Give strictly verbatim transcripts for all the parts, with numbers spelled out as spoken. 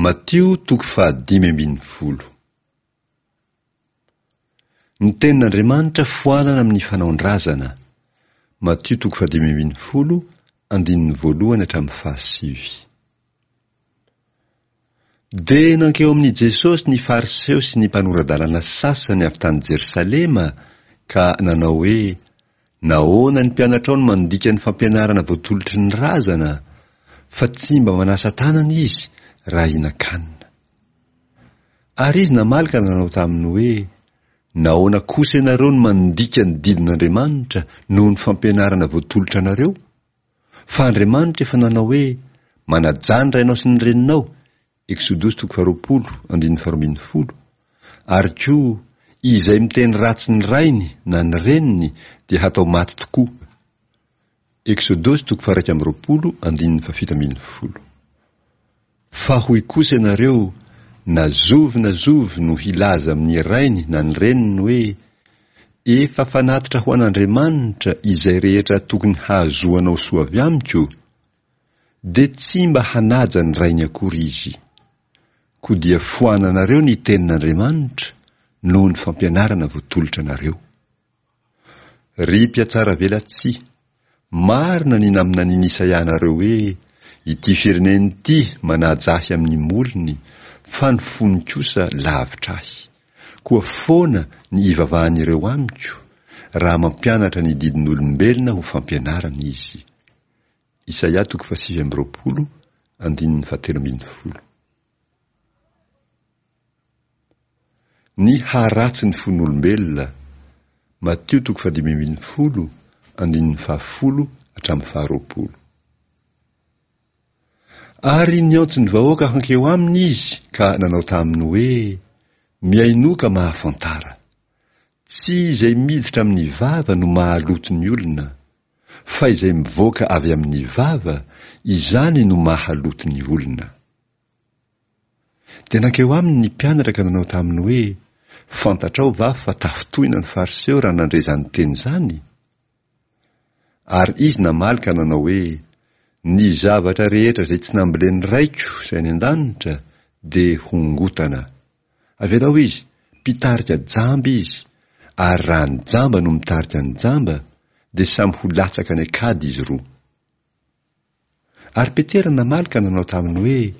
Matio toko fahadimy ambin'ny folo. Ny tenin'Andriamanitra foanana amin'ny fanaon-drazana. Matio toko fahadimy ambin'ny folo, andininy voalohany hatramin'ny fahasivy. Dia nankeo amin'i Jesosy ny Fariseo sy ny mpanora-dalàna sasany avy tany Jerosalema ka nanao hoe, Nahoana ny mpianatrao no mandika ny fampianarana voatolotry ny razana, fa tsy mba manasa tanana izy raha hihinan-kanina? Ary izy namaly ka nanao taminy hoe, Nahoana kosa ianareo no mandika ny didin'Andriamanitra noho ny fampianarana voatolotra anareo? Fa Andriamanitra efa nanao hoe, Manajà ny rainao sy ny reninao, Eksodosy toko faharoapolo, andininy faharoa ambin'ny folo, ary koa, Izay miteny ratsy ny rainy na ny reniny dia hatao maty tokoa. Eksodosy toko faha-iraika amby roapolo, andininy fahafito ambin'ny folo. Fa hoy kosa ianareo, Na zovy na zovy no hilaza amin'ny rainy na ny reniny hoe, Efa fanatitra ho an'Andriamanitra izay rehetra tokony hahazoanao soa avy amiko, dia tsy mba hanaja ny rainy akory izy. Koa dia foananareo ny tenin'Andriamanitra noho ny fampianarana voatolotra anareo. Ry mpihatsaravelatsihy, marina ny naminanian'i Isaia anareo hoe, Ity firenena ity manaja ahy amin'ny molony, fa ny fony kosa lavitra ahy. Koa foana ny ivavahan'ireo amiko, raha mampianatra ny didin'olombelona ho fampianarana izy. Isaia toko fahasivy amby roapolo, andininy fahatelo ambin'ny folo. Ny haharatsy ny fon'olombelona, Matio toko fahadimy ambin'ny folo, andininy fahafolo hatramin'ny faharoapolo. Ary niantso ny vahoaka hankeo aminy izy ka nanao taminy hoe, Mihainoa ka mahafantara. Tsy izay miditra amin'ny vava no mahaloto ny olona, fa izay mivoaka avy amin'ny vava, izany no mahaloto ny olona. Dia nankeo aminy ny mpianatra ka nanao taminy hoe, Fantatrao va fa tafintohina ny Fariseo raha nandre izany teny izany? Ary izy namaly ka nanao hoe, Ny zavatra rehetra izay tsy nambolen'ny Raiko izay any an-danitra dia hongotana. Avelao izy, mpitarika jamba izy, ary raha ny jamba no mitarika ny jamba, dia samy ho latsaka any an-kady izy roa. Ary Petera namaly ka nanao taminy hoe,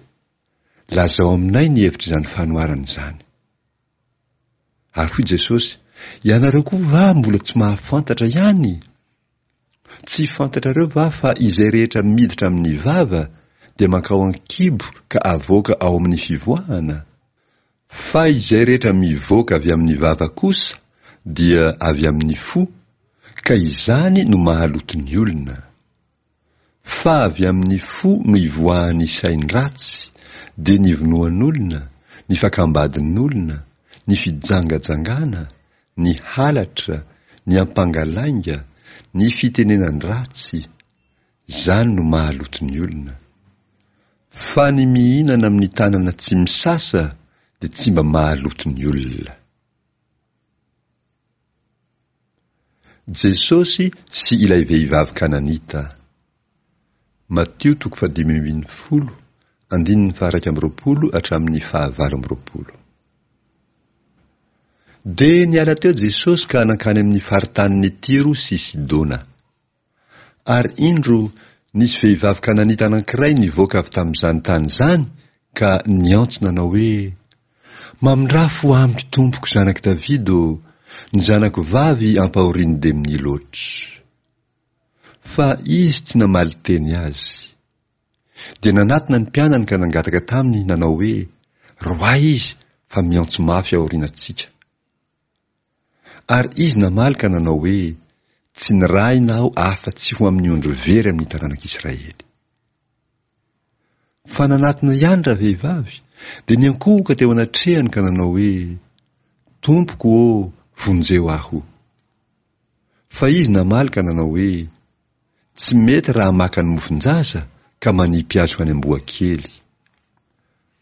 Lazao aminay ny hevitr'izany fanoharana izany. Ary hoy Jesosy, Ianareo koa va mbola tsy mahafantatra ihany? Tsy fantatrareo va fa izay rehetra miditra amin'ny vava dia mankao an-kibo ka avoaka ao amin'ny fivoahana? Fa izay rehetra mivoaka avy amin'ny vava kosa dia avy amin'ny fo, ka izany no mahaloto ny olona. Fa avy amin'ny fo no ivoahan'ny sain-dratsy, dia ny vonoan'olona, ny fakam-badin'olona, ny fijangajangana, ny halatra, ny ampangalainga, ny fitenenan-dratsy, izany no mahaloto ny olona. Fa ny mihinana amin'ny tanana tsy misasa dia tsy mba mahaloto ny olona. Jesosy sy ilay vehivavy Kananita. Matio toko fahadimy ambin'ny folo, andininy faha-iraika amby roapolo hatramin'ny fahavalo amby roapolo. Dia niala teo Jesosy ka nankany amin'ny faritanin'i Tyro sy Sidona. Ary indro, nisy vehivavy Kananita anankiray nivoaka avy tamin'izany tany izany ka niantso nanao hoe, Mamindrà fo amiko, Tompoko, zanak'i Davida ô, ny zanako vavy ampahorian'ny demonia loatra. Fa izy tsy namaly teny azy. Dia nanatona ny mpianany ka nangataka taminy nanao hoe, Roahy izy, fa miantso mafy aorianantsika. Ary izy namaly ka nanao hoe, Tsy nirahina aho afa-tsy ho amin'ny ondry very amin'ny taranak'Israely. Fa nanatona ihany ravehivavy, dia niankohoka teo anatrehany ka nanao hoe, Tompoko ô, vonjeo aho. Fa izy namaly ka nanao hoe, Tsy mety raha maka ny mofon-jaza ka manipy azy ho any amboakely.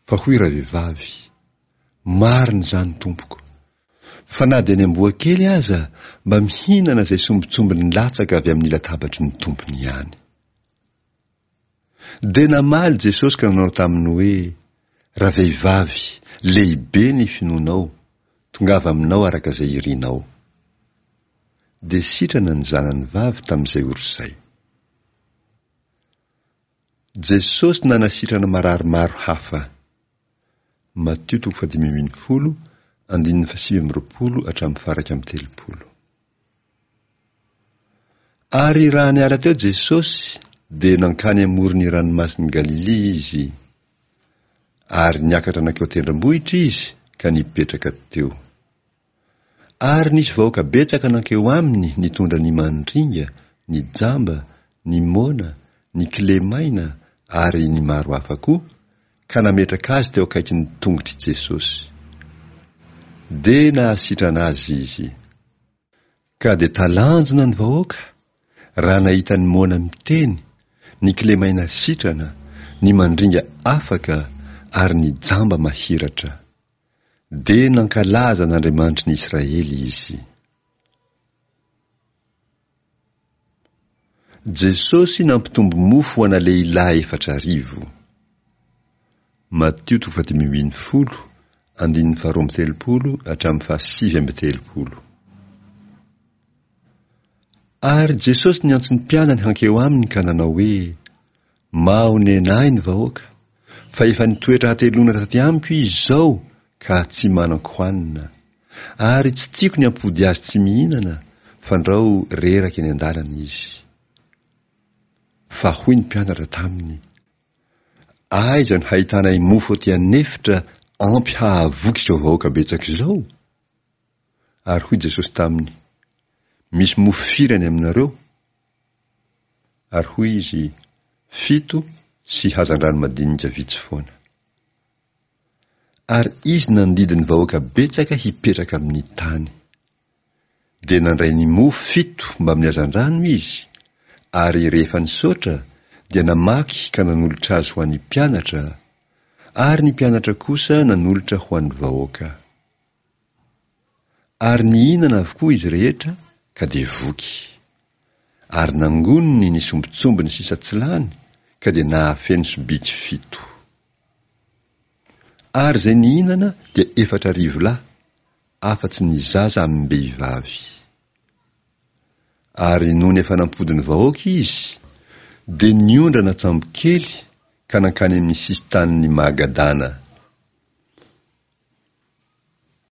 Fa hoy ravehivavy, Marina izany, tompoko. Fa na dia ny amboakely aza mba mihinana izay sombintsombiny latsaka avy amin'ny latabatry ny tompony ihany. Dia namaly Jesosy ka nanao taminy hoe, Ravehivavy, lehibe ny finoanao, tongava aminao araka izay irinao. Dia sitrana ny zanany vavy tamin'izay ora izay. Jesosy nanasitrana marary maro hafa. Matio toko fahadimy ambin'ny folo, andininy fahasivy amby roapolo hatramin'ny faha-iraika amby telopolo. Ary raha niala teo Jesosy, dia nankany amoron'ny ranomasin'i Galilia Izy. Ary niakatra nankeo an-tendrombohitra Izy ka nipetraka teo. Ary nisy vahoaka betsaka nankeo aminy nitondra ny mandringa, ny jamba, ny moana, ny kilemaina ary ny maro hafa koa, ka nametraka azy teo akaikin'ny tongotr'i Jesosy. Dia nahasitrana azy Izy. Ka dia talanjona ny vahoaka raha nahita ny moana miteny, ny kilemaina sitrana, ny mandringa afaka ary ny jamba mahiratra. Dia nankalaza an'Andriamanitry ny Israely izy. Jesosy nampitombo mofo ho ana lehilahy efatra arivo. Matio toko fahadimy ambin'ny folo, andininy faharoa amby telopolo hatramin'ny fahasivy amby telopolo. Ary Jesosy niantso ny mpianany hankeo aminy ka nanao hoe, Mahonena ahy ny vahoaka, fa efa nitoetra hateloana taty amiko izy izao ka tsy manan-kohanina. Ary tsy tiako ny hampody azy tsy mihinana, fandrao reraka eny an-dalana izy. Fa hoy ny mpianatra taminy, Aiza no hahitanay mofo aty an'efitra ampy hahavoky izao vahoaka betsaka izao? Ary hoy Jesosy taminy, Misy mofo firy any aminareo? Ary hoy izy, Fito sy hazandrano madinika vitsy foana. Ary izy nandidy ny vahoaka betsaka hipetraka amin'ny tany. Dia nandray ny mofo fito mbamin'ny hazandrano izy, ary rehefa nisaotra, dia namaky ka nanolotra azy ho an'ny mpianatra, ary ny mpianatra kosa nanolotra ho an'ny vahoaka. Ary nihinana avokoa izy rehetra ka dia voky. Ary nangoniny ny sombintsombiny sisa tsy lany ka dia nahafeno sobiky fito. Ary izay nihinana dia efatra arivo lahy, afa-tsy ny zaza amim-behivavy. Ary nony efa nampody ny vahoaka izy, dia niondrana an-tsambokely ka nankany amin'ny sisin-tanin'i Magadana.